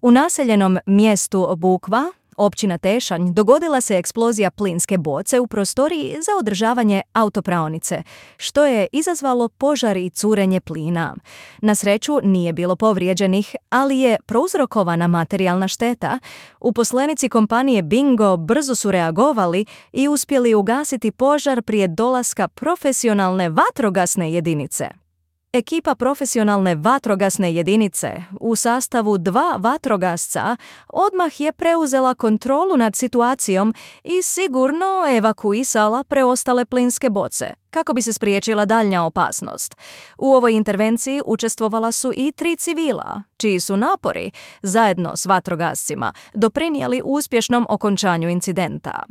U naseljenom mjestu Bukva, općina Tešanj, dogodila se eksplozija plinske boce u prostoriji za održavanje autopraonice, što je izazvalo požar i curenje plina. Na sreću nije bilo povrijeđenih, ali je prouzrokovana materijalna šteta. Uposlenici kompanije Bingo brzo su reagovali i uspjeli ugasiti požar prije dolaska profesionalne vatrogasne jedinice. Ekipa profesionalne vatrogasne jedinice u sastavu 2 vatrogasca odmah je preuzela kontrolu nad situacijom i sigurno evakuisala preostale plinske boce, kako bi se spriječila daljnja opasnost. U ovoj intervenciji učestvovala su i 3 civila, čiji su napori, zajedno s vatrogascima, doprinijeli uspješnom okončanju incidenta.